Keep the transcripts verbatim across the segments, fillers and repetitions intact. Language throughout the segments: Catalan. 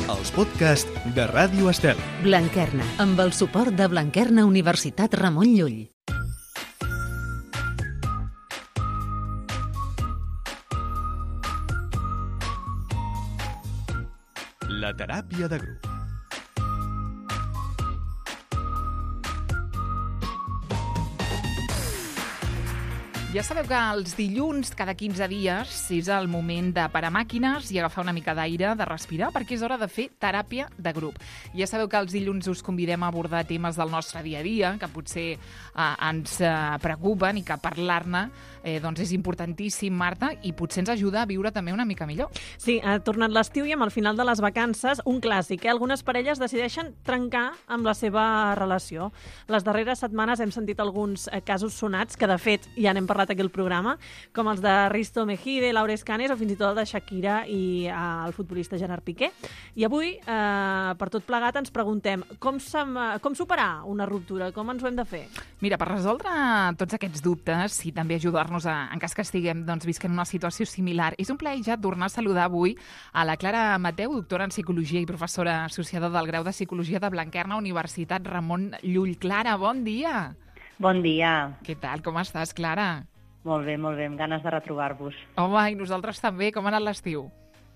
els podcasts de Ràdio Estel. Blanquerna, amb el suport de Blanquerna Universitat Ramon Llull. La teràpia de grup. Ja sabeu que els dilluns, cada quinze dies, és el moment de parar màquines i agafar una mica d'aire, de respirar, perquè és hora de fer teràpia de grup. Ja sabeu que els dilluns us convidem a abordar temes del nostre dia a dia, que potser eh, ens eh, preocupen i que parlar-ne eh, doncs és importantíssim, Marta, i potser ens ajuda a viure també una mica millor. Sí, ha tornat l'estiu i amb el final de les vacances, un clàssic, eh? Algunes parelles decideixen trencar amb la seva relació. Les darreres setmanes hem sentit alguns eh, casos sonats, que de fet ja n'hem parlat aquí al programa, com els de Risto Mejide, Laura Escanes o fins i tot el de Shakira i eh, el futbolista Gerard Piqué. I avui, eh, per tot plegat, ens preguntem com, com superar una ruptura, com ens ho hem de fer? Mira, per resoldre tots aquests dubtes i també ajudar-nos a, en cas que estiguem doncs, visquent una situació similar, és un plaer ja tornar a saludar avui a la Clara Mateu, doctora en Psicologia i professora associada del Grau de Psicologia de Blanquerna, Universitat Ramon Llull. Clara, bon dia! Bon dia. Què tal? Com estàs, Clara? Molt bé, molt bé, amb ganes de retrobar-vos. Home, i nosaltres també. Com ha anat l'estiu?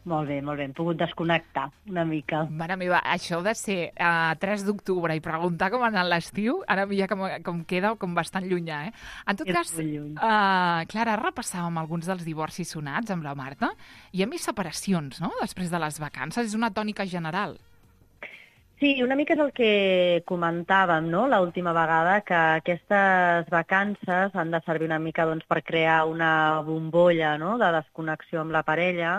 Molt bé, molt bé. Hem pogut desconnectar una mica. Mare meva, això de ser a uh, tres d'octubre i preguntar com ha anat l'estiu, ara ja com, com queda com bastant llunyà, eh? En tot cas, uh, Clara, repassàvem alguns dels divorcis sonats amb la Marta. Hi ha més separacions, no?, després de les vacances. És una tònica general. Sí, una mica és el que comentàvem, no?, l'última vegada, que aquestes vacances han de servir una mica doncs, per crear una bombolla, no?, de desconnexió amb la parella,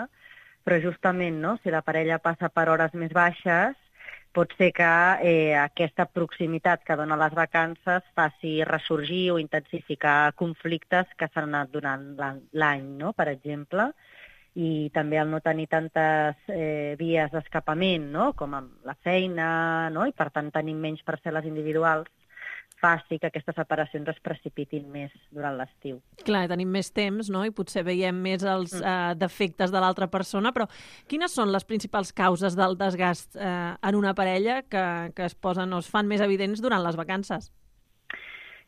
però justament, no?, si la parella passa per hores més baixes, pot ser que eh, aquesta proximitat que dona les vacances faci ressorgir o intensificar conflictes que s'han anat donant l'any, no?, per exemple. I també el no tenir tantes eh, vies d'escapament, no?, com amb la feina, no?, i per tant tenim menys parcel·les individuals, faci que aquestes separacions es precipitin més durant l'estiu. Clar, tenim més temps, no?, i potser veiem més els mm. eh, defectes de l'altra persona, però quines són les principals causes del desgast eh, en una parella que, que es posen o es fan més evidents durant les vacances?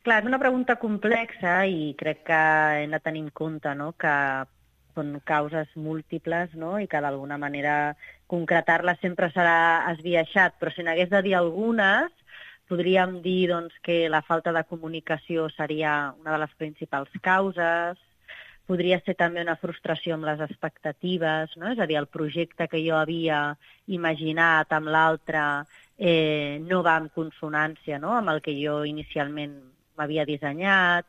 Clar, és una pregunta complexa i crec que hem de tenir en compte, no?, que són causes múltiples, no?, i que d'alguna manera concretar-les sempre serà esbiaixat, però si n'hagués de dir algunes, podríem dir doncs, que la falta de comunicació seria una de les principals causes, podria ser també una frustració amb les expectatives, no?, és a dir, el projecte que jo havia imaginat amb l'altre eh, no va en consonància, no?, amb el que jo inicialment m'havia dissenyat,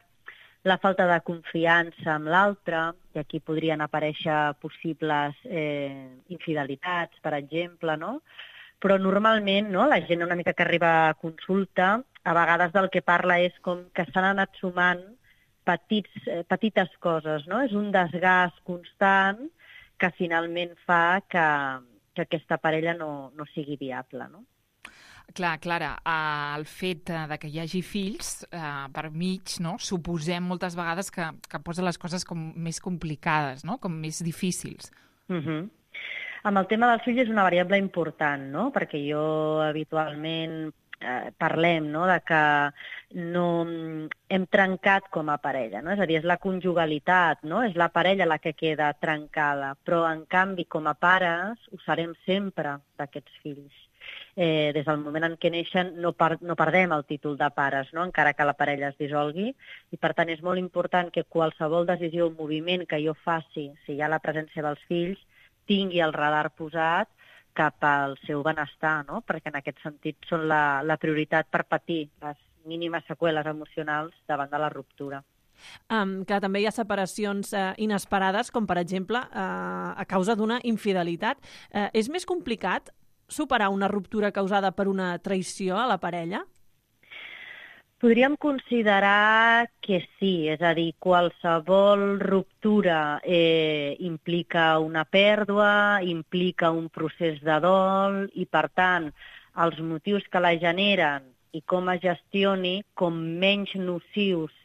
la falta de confiança amb l'altre, i aquí podrien aparèixer possibles eh, infidelitats, per exemple, no? Però normalment, no?, la gent una mica que arriba a consulta, a vegades del que parla és com que s'han anat sumant petits, eh, petites coses, no? És un desgast constant que finalment fa que, que aquesta parella no, no sigui viable, no? Clar, Clara, el fet de que hi hagi fills eh, per mig, no?, suposem moltes vegades que, que posa les coses com més complicades, no?, com més difícils. Uh-huh. Amb el tema dels fills és una variable important, no?, perquè jo habitualment eh, parlem, no?, de que no hem trencat com a parella, no?, és a dir, és la conjugalitat, no?, és la parella la que queda trencada, però en canvi com a pares ho serem sempre d'aquests fills. Eh, des del moment en què neixen no, per, no perdem el títol de pares, no?, encara que la parella es dissolgui, i per tant és molt important que qualsevol decisió o moviment que jo faci, si hi ha la presència dels fills, tingui el radar posat cap al seu benestar, no?, perquè en aquest sentit són la, la prioritat per patir les mínimes seqüeles emocionals davant de la ruptura. Um, que també hi ha separacions uh, inesperades, com per exemple uh, a causa d'una infidelitat. Uh, és més complicat superar una ruptura causada per una traïció a la parella? Podríem considerar que sí, és a dir, qualsevol ruptura eh, implica una pèrdua, implica un procés de dol i, per tant, els motius que la generen i com es gestioni, com menys nocius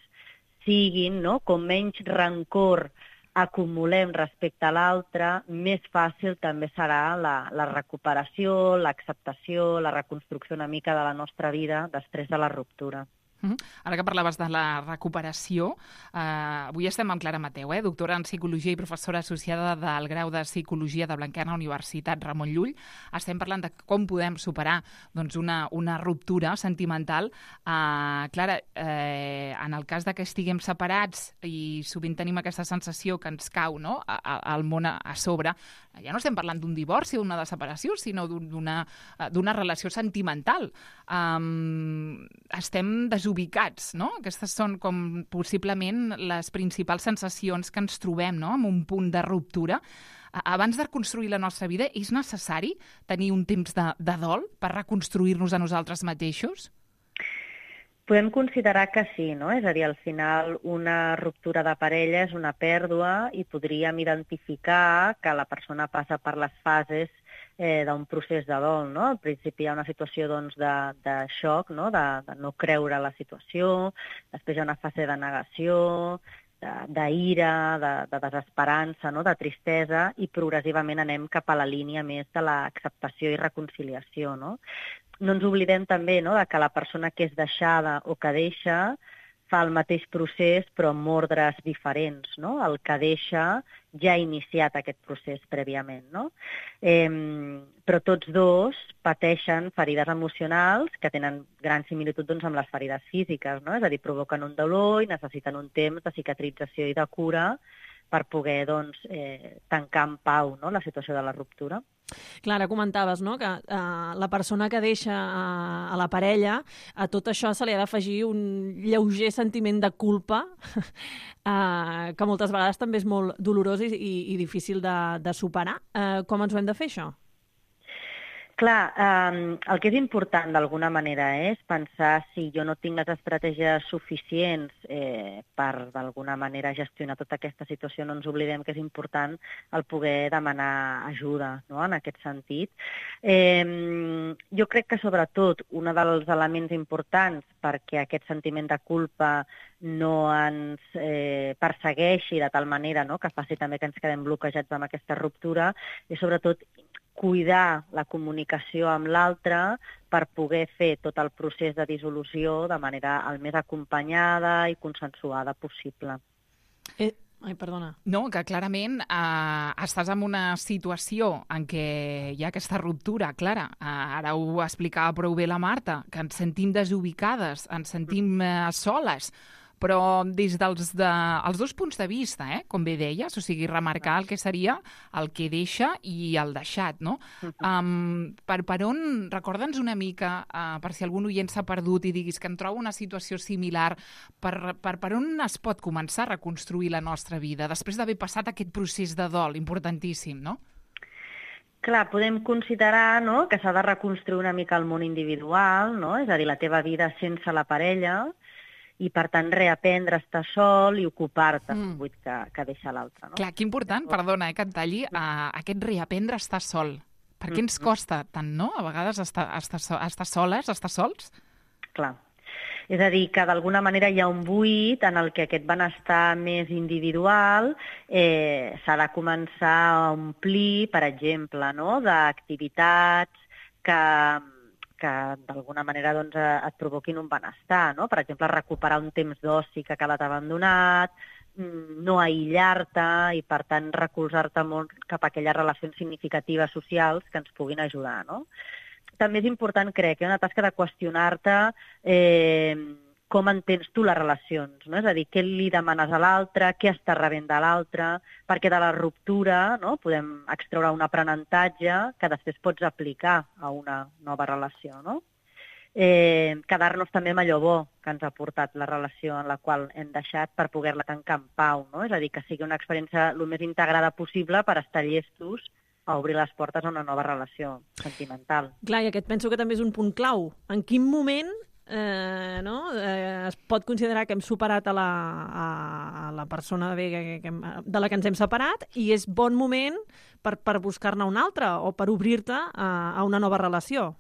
siguin, no?, com menys rancor acumulem respecte a l'altre, més fàcil també serà la, la recuperació, l'acceptació, la reconstrucció una mica de la nostra vida després de la ruptura. Uh-huh. Ara que parlaves de la recuperació, eh, avui estem amb Clara Mateu, eh, doctora en Psicologia i professora associada del grau de Psicologia de Blanquerna, Universitat Ramon Llull. Estem parlant de com podem superar doncs, una, una ruptura sentimental. Eh, Clara, eh, en el cas de que estiguem separats i sovint tenim aquesta sensació que ens cau, no?, al món a, a sobre, ja no estem parlant d'un divorci o d'una separació, sinó d'una, d'una relació sentimental. Um, estem desubicats, no? Aquestes són com possiblement les principals sensacions que ens trobem, no?, en un punt de ruptura. Abans de reconstruir la nostra vida, és necessari tenir un temps de, de dol per reconstruir-nos a nosaltres mateixos? Podem considerar que sí, no? És a dir, al final una ruptura de parella és una pèrdua i podríem identificar que la persona passa per les fases eh, d'un procés de dol, no? Al principi hi ha una situació doncs, de, de xoc, no? De, de no creure la situació, després hi ha una fase de negació, d'ira, de, de desesperança, no? De tristesa, i progressivament anem cap a la línia més de l'acceptació i reconciliació, no? No ens oblidem també, no?, de que la persona que és deixada o que deixa fa el mateix procés però amb ordres diferents, no? El que deixa ja ha iniciat aquest procés prèviament, no? Eh, però tots dos pateixen ferides emocionals que tenen gran similitud doncs, amb les ferides físiques, no? És a dir, provoquen un dolor i necessiten un temps de cicatrització i de cura per poder doncs, eh, tancar en pau, no?, la situació de la ruptura. Clara, comentaves, no?, que uh, la persona que deixa uh, a la parella, a tot això se li ha d'afegir un lleuger sentiment de culpa, uh, que moltes vegades també és molt dolorós i, i, i difícil de, de superar. Uh, com ens ho hem de fer, això? Clar, eh, el que és important d'alguna manera és pensar si jo no tinc les estratègies suficients eh, per d'alguna manera gestionar tota aquesta situació. No ens oblidem que és important el poder demanar ajuda, no?, en aquest sentit. Eh, jo crec que sobretot un dels elements importants perquè aquest sentiment de culpa no ens eh, persegueixi de tal manera, no?, que faci també que ens quedem bloquejats amb aquesta ruptura, és sobretot cuidar la comunicació amb l'altre per poder fer tot el procés de dissolució de manera el més acompanyada i consensuada possible. Eh, ai, perdona. No, que clarament eh, estàs en una situació en què hi ha aquesta ruptura, Clara. Eh, ara ho explicava prou bé la Marta, que ens sentim desubicades, ens sentim eh, soles, però des dels de, els dos punts de vista, eh, com bé deies, o sigui, remarcar el que seria el que deixa i el deixat, no? Um, per, per on, recorda'ns una mica, uh, per si algun oient s'ha perdut i diguis que em trobo una situació similar, per, per, per on es pot començar a reconstruir la nostra vida, després d'haver passat aquest procés de dol importantíssim, no? Clar, podem considerar, no?, que s'ha de reconstruir una mica el món individual, no? És a dir, la teva vida sense la parella, i, per tant, reaprendre a estar sol i ocupar-te mm. buit que, que deixa l'altre. No? Clar, que important, perdona, eh, que et talli, uh, aquest reaprendre a estar sol. Per què ens costa tant, no?, a vegades estar, estar, estar soles, estar sols? Clar. És a dir, que d'alguna manera hi ha un buit en el que aquest benestar més individual eh, s'ha de començar a omplir, per exemple, no?, d'activitats que... que d'alguna manera doncs, et provoquin un benestar, no? Per exemple, recuperar un temps d'oci que ha quedat abandonat, no aïllar-te i, per tant, recolzar-te molt cap a aquelles relacions significatives socials que ens puguin ajudar, no? També és important, crec, que hi ha una tasca de qüestionar-te eh, com entens tu les relacions, no? És a dir, què li demanes a l'altre, què està rebent de l'altre, perquè de la ruptura, no?, podem extreure un aprenentatge que després pots aplicar a una nova relació, no? Eh, quedar-nos també amb allò bo que ens ha portat la relació en la qual hem deixat per poder-la tancar en pau, no? És a dir, que sigui una experiència el més integrada possible per estar llestos a obrir les portes a una nova relació sentimental. Clar, i aquest penso que també és un punt clau. En quin moment Eh, no? eh, es pot considerar que hem superat a la, a, a la persona bé, que, que, de la que ens hem separat i és bon moment per, per buscar-ne una altra o per obrir-te a, a una nova relació?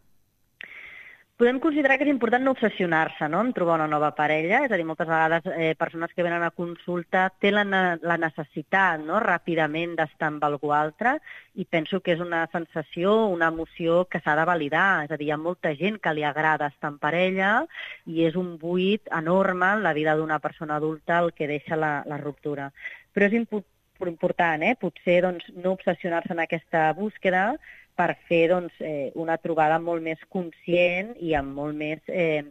Podem considerar que és important no obsessionar-se, no?, en trobar una nova parella. És a dir, moltes vegades eh, persones que venen a consulta tenen la, la necessitat, no?, ràpidament d'estar amb algú altre, i penso que és una sensació, una emoció que s'ha de validar. És a dir, hi ha molta gent que li agrada estar en parella i és un buit enorme en la vida d'una persona adulta el que deixa la, la ruptura. Però és impo- important, eh?, potser doncs, no obsessionar-se en aquesta búsqueda, per fer doncs, eh, una trobada molt més conscient i amb molt més eh,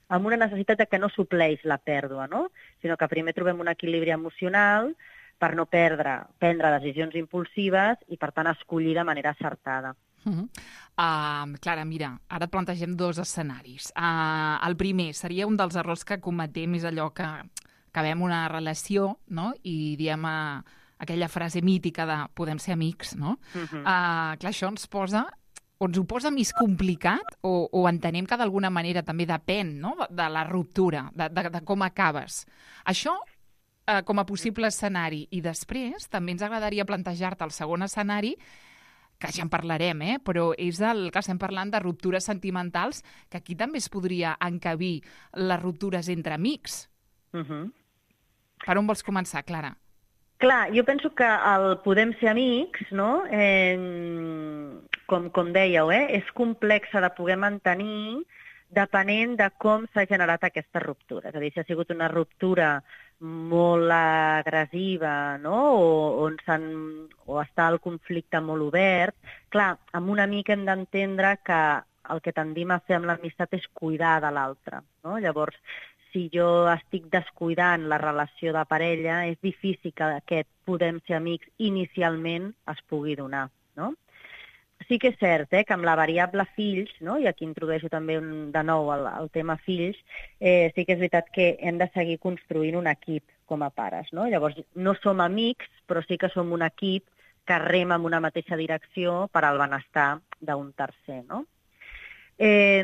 amb una necessitat de que no supleix la pèrdua, no?, sinó que primer trobem un equilibri emocional per no perdre, prendre decisions impulsives i, per tant, escollir de manera acertada. Uh -huh. uh, Clara, mira, ara et plantegem dos escenaris. Uh, el primer seria un dels errors que cometem, és allò que acabem una relació, no?, i diem a aquella frase mítica de podem ser amics, no? Uh -huh. uh, clar, això ens posa, o ens ho posa més complicat, o, o entenem que d'alguna manera també depèn, no?, de la ruptura, de, de, de com acabes. Això uh, com a possible escenari. I després també ens agradaria plantejar-te el segon escenari, que ja en parlarem, eh? Però és el que estem parlant de ruptures sentimentals, que aquí també es podria encabir les ruptures entre amics. Uh -huh. Per on vols començar, Clara? Clar, jo penso que el podem ser amics, no?, eh, com, com dèieu, eh, és complex de poder mantenir depenent de com s'ha generat aquesta ruptura. És a dir, si ha sigut una ruptura molt agressiva, no?, o, on s'han, o està el conflicte molt obert, clar, amb un amic hem d'entendre que el que tendim a fer amb l'amistat és cuidar de l'altre, no? Llavors, si jo estic descuidant la relació de parella, és difícil que aquest podem ser amics inicialment es pugui donar, no? Sí que és cert, eh, que amb la variable fills, no?, i aquí introdueixo també un, de nou el, el tema fills, eh, sí que és veritat que hem de seguir construint un equip com a pares, no? Llavors, no som amics, però sí que som un equip que rema en una mateixa direcció per al benestar d'un tercer, no? Eh,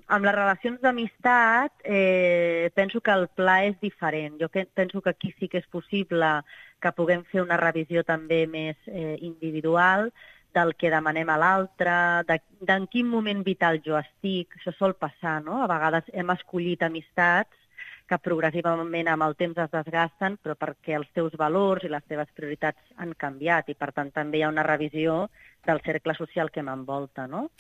amb les relacions d'amistat eh, penso que el pla és diferent. Jo que, penso que aquí sí que és possible que puguem fer una revisió també més eh, individual del que demanem a l'altre, de, d'en quin moment vital jo estic. Això sol passar, no? A vegades hem escollit amistats que progressivament amb el temps es desgasten, però perquè els teus valors i les teves prioritats han canviat i, per tant, també hi ha una revisió del cercle social que m'envolta, no?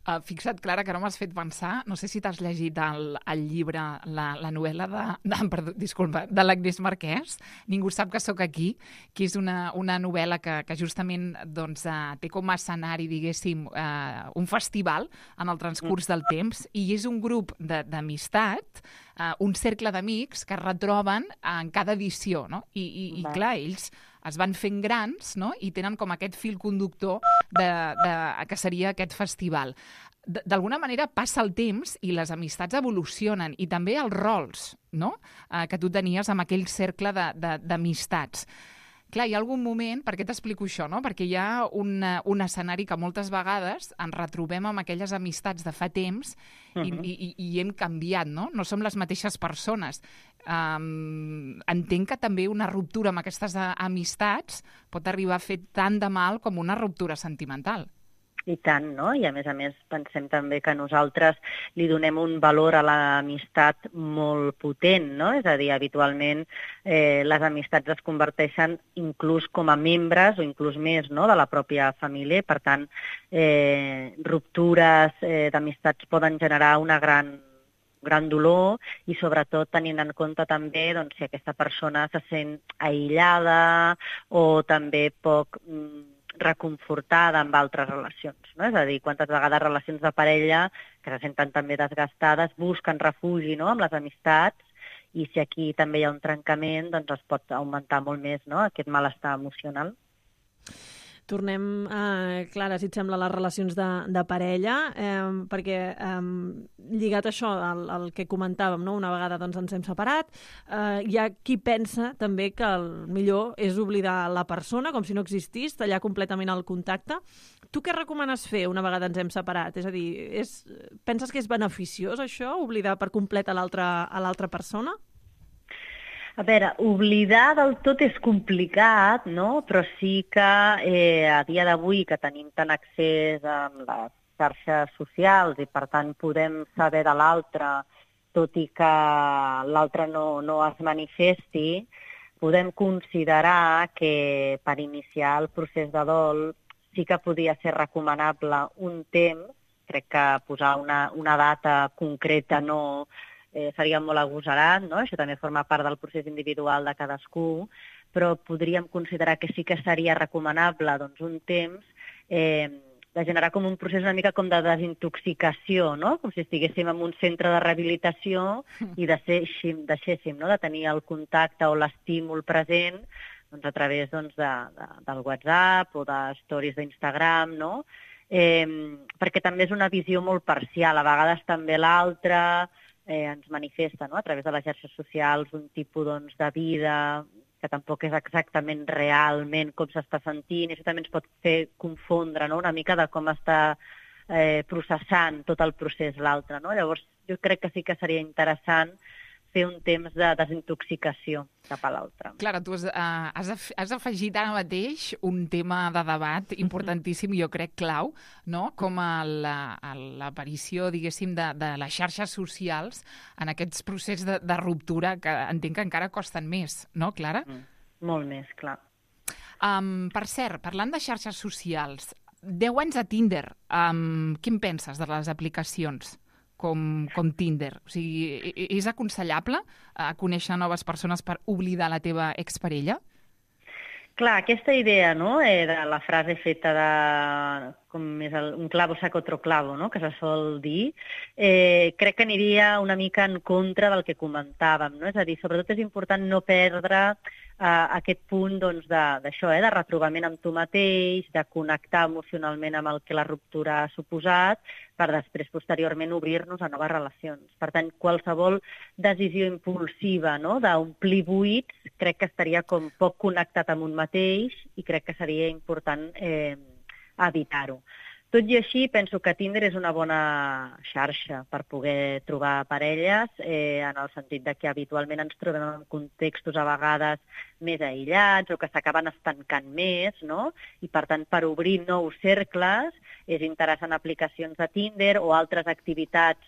Uh, fixa't, Clara, que no m'has fet pensar, no sé si t'has llegit el, el llibre, la, la novel·la de, de, perdó, disculpa, de l'Agnès Marquès, Ningú sap que sóc aquí, que és una, una novel·la que, que justament doncs, uh, té com a escenari, diguéssim, uh, un festival en el transcurs del temps, i és un grup d'amistat, uh, un cercle d'amics que es retroben en cada edició, no? I, i, i clar, ells es van fent grans, no?, i tenen com aquest fil conductor de, de, que seria aquest festival. D'alguna manera passa el temps i les amistats evolucionen, i també els rols, no?, eh, que tu tenies amb aquell cercle d'amistats. Clar, hi ha algun moment, per què t'explico això, no? Perquè hi ha un, un escenari que moltes vegades ens retrobem amb aquelles amistats de fa temps i, uh-huh. i, i hem canviat, no? No som les mateixes persones. Um, entenc que també una ruptura amb aquestes amistats pot arribar a fer tant de mal com una ruptura sentimental. I tant, no? I a més a més pensem també que nosaltres li donem un valor a l'amistat molt potent, no? És a dir, habitualment eh, les amistats es converteixen inclús com a membres o inclús més, no?, de la pròpia família. Per tant, eh, ruptures eh, d'amistats poden generar una gran gran dolor i sobretot tenint en compte també doncs, si aquesta persona se sent aïllada o també poc mm, reconfortada amb altres relacions, no? És a dir, quantes vegades relacions de parella que se senten també desgastades busquen refugi, no?, amb les amistats, i si aquí també hi ha un trencament, doncs es pot augmentar molt més, no?, aquest malestar emocional. Tornem, eh, Clara, si et sembla, a les relacions de, de parella, eh, perquè eh, lligat a això, al, al que comentàvem, no? Una vegada doncs, ens hem separat, eh, hi ha qui pensa també que el millor és oblidar la persona, com si no existís, tallar completament el contacte. Tu què recomanes fer una vegada ens hem separat? És a dir, és, penses que és beneficiós això, oblidar per complet a l'altra a l'altra persona? A veure, oblidar del tot és complicat, no? Però sí que eh, a dia d'avui que tenim tant accés amb les xarxes socials i, per tant, podem saber de l'altre, tot i que l'altre no, no es manifesti, podem considerar que per iniciar el procés de dol sí que podia ser recomanable un temps. Crec que posar una, una data concreta no eh, seria molt agosarat, no? Això també forma part del procés individual de cadascú, però podríem considerar que sí que seria recomanable doncs, un temps eh, de generar com un procés una mica com de desintoxicació, no? Com si estiguéssim en un centre de rehabilitació i deixéssim, deixéssim no? de tenir el contacte o l'estímul present doncs, a través doncs, de, de, del WhatsApp o de stories d'Instagram, no? Eh, perquè també és una visió molt parcial. A vegades també l'altre eh, ens manifesta, no? A través de les xarxes socials un tipus doncs, de vida que tampoc és exactament realment com s'està sentint, i això també ens pot fer confondre, no? Una mica de com està eh, processant tot el procés l'altre, no? Llavors, jo crec que sí que seria interessant fer un temps de desintoxicació cap a l'altre. Clara, tu has, uh, has, af has afegit ara mateix un tema de debat importantíssim, jo crec clau, no? Com l'aparició, diguéssim, de, de les xarxes socials en aquests processos de, de ruptura que entenc que encara costen més, no, Clara? Mm, molt més, clar. Um, per cert, parlant de xarxes socials, deu anys a Tinder, um, què en penses de les aplicacions com, com Tinder? O sigui, és aconsellable uh, conèixer noves persones per oblidar la teva exparella? Clar, aquesta idea, no?, eh, de la frase feta de com és el, un clavo saca otro clavo, no?, que se sol dir, eh, crec que aniria una mica en contra del que comentàvem, no? És a dir, sobretot és important no perdre eh, aquest punt doncs, d'això, eh, de retrobament amb tu mateix, de connectar emocionalment amb el que la ruptura ha suposat, per després, posteriorment, obrir-nos a noves relacions. Per tant, qualsevol decisió impulsiva, no?, d'omplir buits, crec que estaria com poc connectat amb un mateix i crec que seria important eh, evitar-ho. Tot i així, penso que Tinder és una bona xarxa per poder trobar parelles, eh, en el sentit de que habitualment ens trobem en contextos a vegades més aïllats o que s'acaben estancant més, no? I, per tant, per obrir nous cercles és interessant aplicacions de Tinder o altres activitats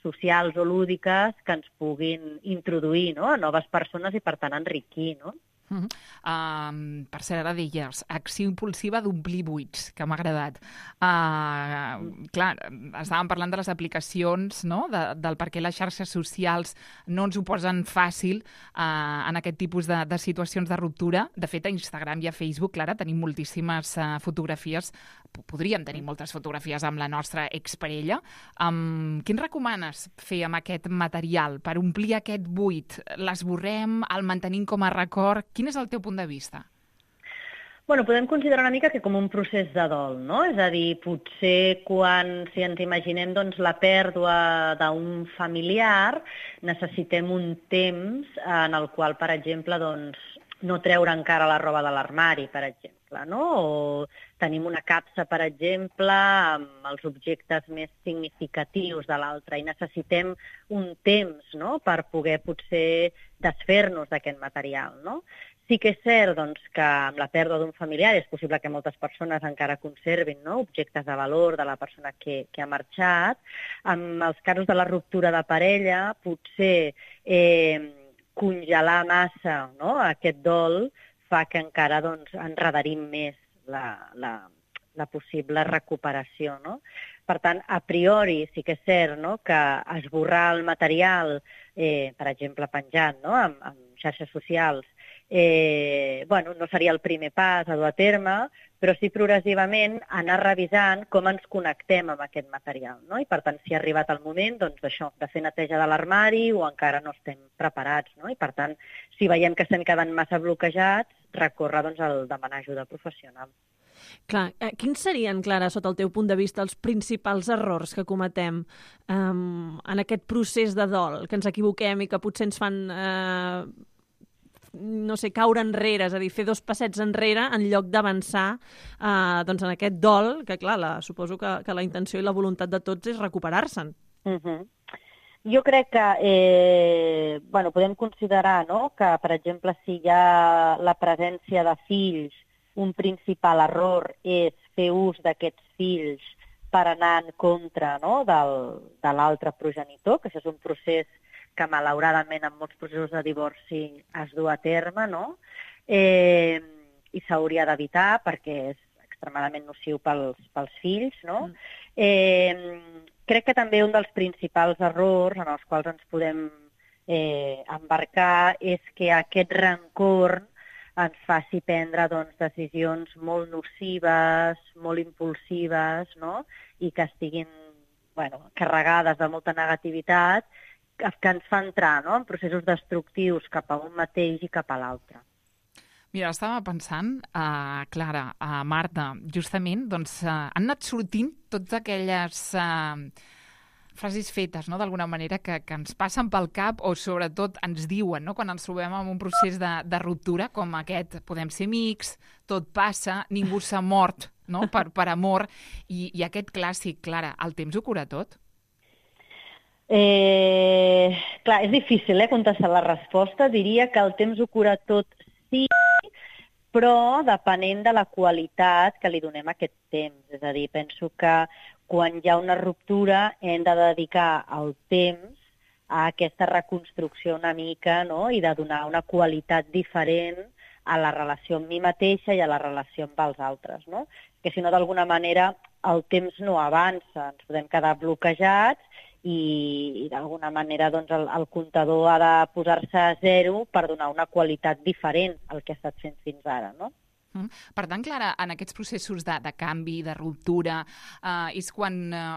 socials o lúdiques que ens puguin introduir, no?, a noves persones i, per tant, enriquir, no? Uh -huh. um, per cert, ara deies, acció impulsiva d'omplir buits, que m'ha agradat. Uh, clar, estàvem parlant de les aplicacions, no?, de, del per què les xarxes socials no ens ho posen fàcil uh, en aquest tipus de, de situacions de ruptura. De fet, a Instagram i a Facebook, Clara, tenim moltíssimes uh, fotografies, podríem tenir moltes fotografies amb la nostra exparella. Um, què ens recomanes fer amb aquest material per omplir aquest buit? L'esborrem, el mantenim com a record? Quin és el teu punt de vista? Bueno, podem considerar una mica que com un procés de dol, no? És a dir, potser quan, si ens imaginem doncs, la pèrdua d'un familiar, necessitem un temps en el qual, per exemple, doncs, no treure encara la roba de l'armari, per exemple, no? O tenim una capsa, per exemple, amb els objectes més significatius de l'altre i necessitem un temps, no?, per poder potser desfer-nos d'aquest material, no? Sí que és cert doncs, que amb la pèrdua d'un familiar és possible que moltes persones encara conservin, no?, objectes de valor de la persona que, que ha marxat. En els casos de la ruptura de parella, potser eh, congelar massa, no?, aquest dol fa que encara doncs, enredarim més la, la, la possible recuperació, no? Per tant, a priori sí que és cert, no?, que esborrar el material, eh, per exemple, penjant, no?, amb, amb xarxes socials, eh, bueno, no seria el primer pas a dur a terme, però sí progressivament anar revisant com ens connectem amb aquest material, no? I per tant, si ha arribat el moment, doncs això, de fer neteja de l'armari o encara no estem preparats, no? I per tant, si veiem que estem quedant massa bloquejats, recórrer doncs, al demanar ajuda professional. Clar, eh, quins serien, Clara, sota el teu punt de vista, els principals errors que cometem um, en aquest procés de dol, que ens equivoquem i que potser ens fan... Eh, no sé, caure enrere, és a dir, fer dos passets enrere en lloc d'avançar eh, doncs en aquest dol, que clar, la, suposo que, que la intenció i la voluntat de tots és recuperar-se'n. Uh-huh. Jo crec que eh, bueno, podem considerar, no?, que, per exemple, si hi ha la presència de fills, un principal error és fer ús d'aquests fills per anar en contra, no?, del, de l'altre progenitor, que això és un procés que malauradament en molts processos de divorci es du a terme, no?, eh, i s'hauria d'evitar perquè és extremadament nociu pels, pels fills, no? Mm. Eh, crec que també un dels principals errors en els quals ens podem eh, embarcar és que aquest rancor ens faci prendre doncs, decisions molt nocives, molt impulsives, no?, i que estiguin bueno, carregades de molta negativitat, que, que ens fa entrar, no?, en processos destructius cap a un mateix i cap a l'altre. Mira, estava pensant, uh, Clara, uh, Marta, justament, doncs, uh, han anat sortint totes aquelles uh, frases fetes, no?, d'alguna manera, que, que ens passen pel cap o sobretot ens diuen, no?, quan ens trobem en un procés de, de ruptura com aquest, podem ser amics, tot passa, ningú s'ha mort, no?, per, per amor, i, i aquest clàssic, Clara, el temps ho cura tot? Eh, clar, és difícil eh, contestar la resposta. Diria que el temps ho cura tot, sí, però depenent de la qualitat que li donem a aquest temps. És a dir, penso que quan hi ha una ruptura hem de dedicar el temps a aquesta reconstrucció una mica, no?, i de donar una qualitat diferent a la relació amb mi mateixa i a la relació amb els altres, no? Que si no, d'alguna manera, el temps no avança, ens podem quedar bloquejats i, i d'alguna manera doncs, el, el comptador ha de posar-se a zero per donar una qualitat diferent al que ha estat fent fins ara, no? Mm. Per tant, Clara, en aquests processos de, de canvi, de ruptura, eh, és quan eh,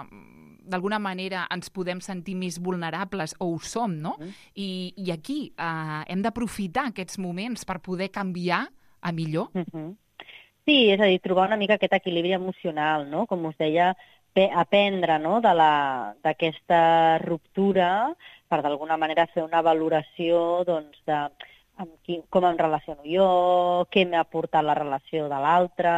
d'alguna manera ens podem sentir més vulnerables, o ho som, no? Mm. I, I aquí eh, hem d'aprofitar aquests moments per poder canviar a millor? Mm-hmm. Sí, és a dir, trobar una mica aquest equilibri emocional, no? Com us deia, aprendre, no?, de la, d'aquesta ruptura per d'alguna manera fer una valoració doncs, de amb qui, com em relaciono jo, què m'ha aportat la relació de l'altre,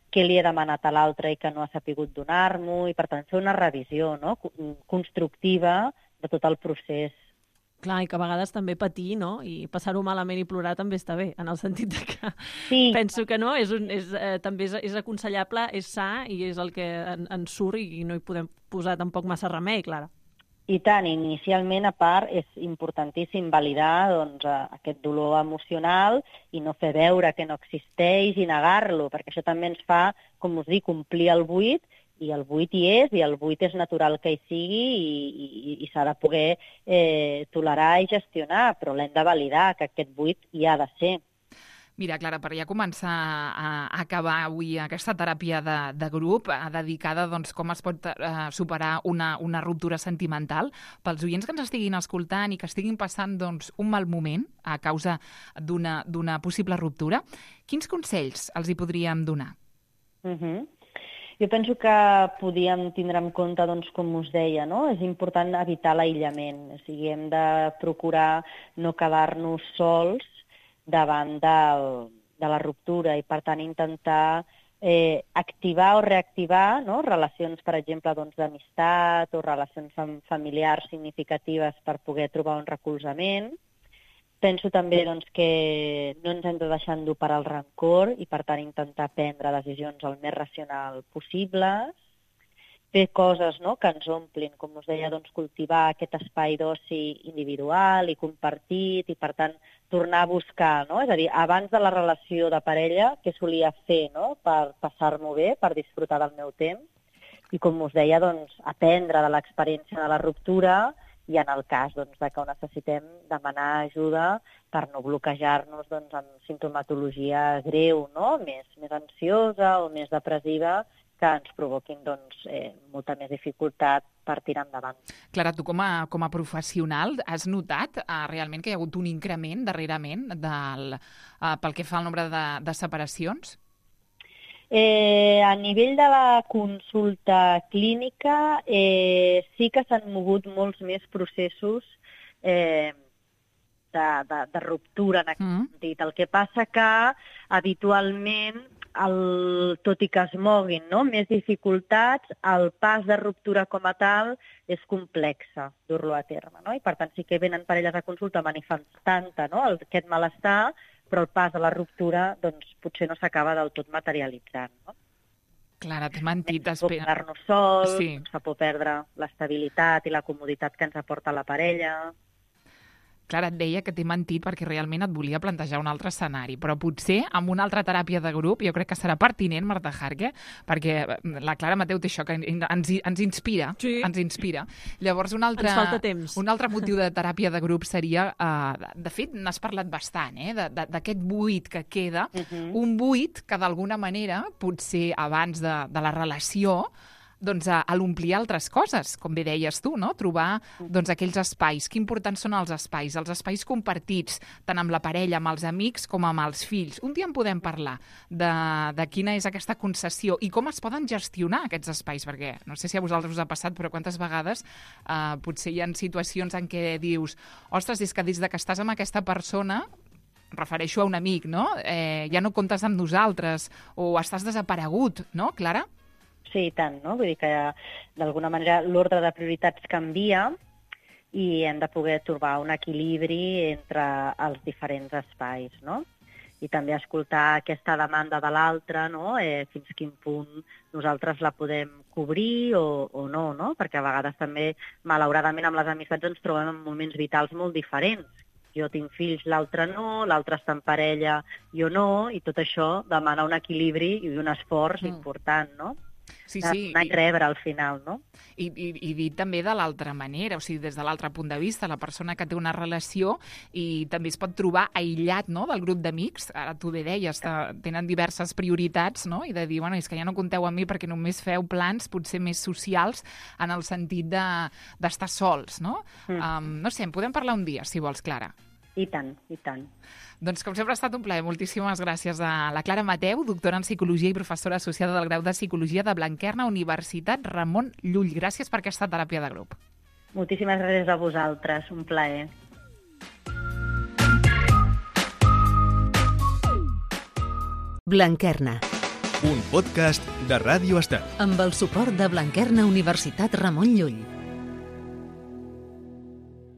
què li he demanat a l'altre i que no ha sapigut donar-m'ho, i per tant fer una revisió, no?, constructiva de tot el procés. Clar, i que a vegades també patir, no?, i passar-ho malament i plorar també està bé, en el sentit de que sí. penso que no, és un, és, eh, també és, és aconsellable, és sa i és el que en, ens surt i no hi podem posar tampoc massa remei, Clara. I tant, inicialment, a part, és importantíssim validar doncs, aquest dolor emocional i no fer veure que no existeix i negar-lo, perquè això també ens fa, com us dic, omplir el buit, i el buit hi és, i el buit és natural que hi sigui i, i, i s'ha de poder eh, tolerar i gestionar, però l'hem de validar, que aquest buit hi ha de ser. Mira, Clara, per ja començar a acabar avui aquesta teràpia de, de grup eh, dedicada doncs, com es pot eh, superar una, una ruptura sentimental, pels oients que ens estiguin escoltant i que estiguin passant doncs, un mal moment a causa d'una, d'una possible ruptura, quins consells els hi podríem donar? Mhm. Jo penso que podíem tindre en compte, doncs, com us deia, no? És important evitar l'aïllament, o sigui, hem de procurar no quedar-nos sols davant del, de la ruptura i, per tant, intentar eh, activar o reactivar, no?, relacions, per exemple, doncs, d'amistat o relacions familiars significatives per poder trobar un recolzament. Penso també doncs, que no ens hem de deixar endur per al rancor i, per tant, intentar prendre decisions el més racional possibles, fer coses, no?, que ens omplin, com us deia, doncs, cultivar aquest espai d'oci individual i compartit i, per tant, tornar a buscar, no? És a dir, abans de la relació de parella, què solia fer, no?, per passar-m'ho bé, per disfrutar del meu temps i, com us deia, doncs, aprendre de l'experiència de la ruptura i en el cas doncs, de que ho necessitem demanar ajuda per no bloquejar-nos doncs, amb simptomatologia greu, no?, més, més ansiosa o més depressiva, que ens provoquin doncs, eh, molta més dificultat per tirar endavant. Clara, tu com a, com a professional has notat eh, realment que hi ha hagut un increment darrerament del, eh, pel que fa al nombre de, de separacions? Eh, a nivell de la consulta clínica eh, sí que s'han mogut molts més processos eh, de, de, de ruptura en aquest mm. sentit. El que passa que habitualment, el, tot i que es moguin, no?, més dificultats, el pas de ruptura com a tal és complexa dur-lo a terme, no? I per tant sí que venen parelles a consulta manifestant-te, no?, aquest malestar, però el pas de la ruptura doncs, potser no s'acaba del tot materialitzant, no? Clara, t'he mentit. Ens fa por Espera. quedar-nos sols, Sí. ens fa por perdre l'estabilitat i la comoditat que ens aporta la parella. Clara, et deia que t'he mentit perquè realment et volia plantejar un altre escenari, però potser amb una altra teràpia de grup jo crec que serà pertinent, Marta Jarque, perquè la Clara Mateu té això que ens, ens inspira, Sí. ens inspira. Llavors, un altre, Ens falta temps. un altre motiu de teràpia de grup seria, uh, de fet, n'has parlat bastant, eh, de- de- d'aquest buit que queda, Mhm. un buit que d'alguna manera, potser abans de, de la relació, doncs, a, a l'omplir altres coses, com bé deies tu, no? Trobar doncs, aquells espais. Que importants són els espais? Els espais compartits, tant amb la parella, amb els amics, com amb els fills. Un dia en podem parlar de, de quina és aquesta concessió i com es poden gestionar aquests espais, perquè no sé si a vosaltres us ha passat, però quantes vegades eh, potser hi ha situacions en què dius ostres, és que des de que estàs amb aquesta persona em refereixo a un amic, no? Eh, ja no comptes amb nosaltres o estàs desaparegut, no, Clara? Sí, i tant, no? Vull dir que d'alguna manera l'ordre de prioritats canvia i hem de poder trobar un equilibri entre els diferents espais, no? I també escoltar aquesta demanda de l'altre, no? Eh, fins quin punt nosaltres la podem cobrir o, o no, no? Perquè a vegades també, malauradament, amb les amistats ens trobem en moments vitals molt diferents. Jo tinc fills, l'altre no, l'altre està en parella, jo no, i tot això demana un equilibri i un esforç Mm. important, no? Sí, Anar sí. i rebre al final, no? I, i, i dit també de l'altra manera, o sigui, des de l'altre punt de vista, la persona que té una relació i també es pot trobar aïllat, no?, del grup d'amics, ara tu bé deies, te- tenen diverses prioritats, no?, i de dir, bueno, és que ja no compteu amb mi perquè només feu plans potser més socials en el sentit de, d'estar sols, no? Mm. Um, no sé, en podem parlar un dia, si vols, Clara. I tant, i tant. Doncs, com sempre, ha estat un plaer. Moltíssimes gràcies a la Clara Mateu, doctora en Psicologia i professora associada del grau de Psicologia de Blanquerna, Universitat Ramon Llull. Gràcies per aquesta teràpia de grup. Moltíssimes gràcies a vosaltres, un plaer. Blanquerna, Un podcast de Ràdio Estel. amb el suport de Blanquerna Universitat Ramon Llull.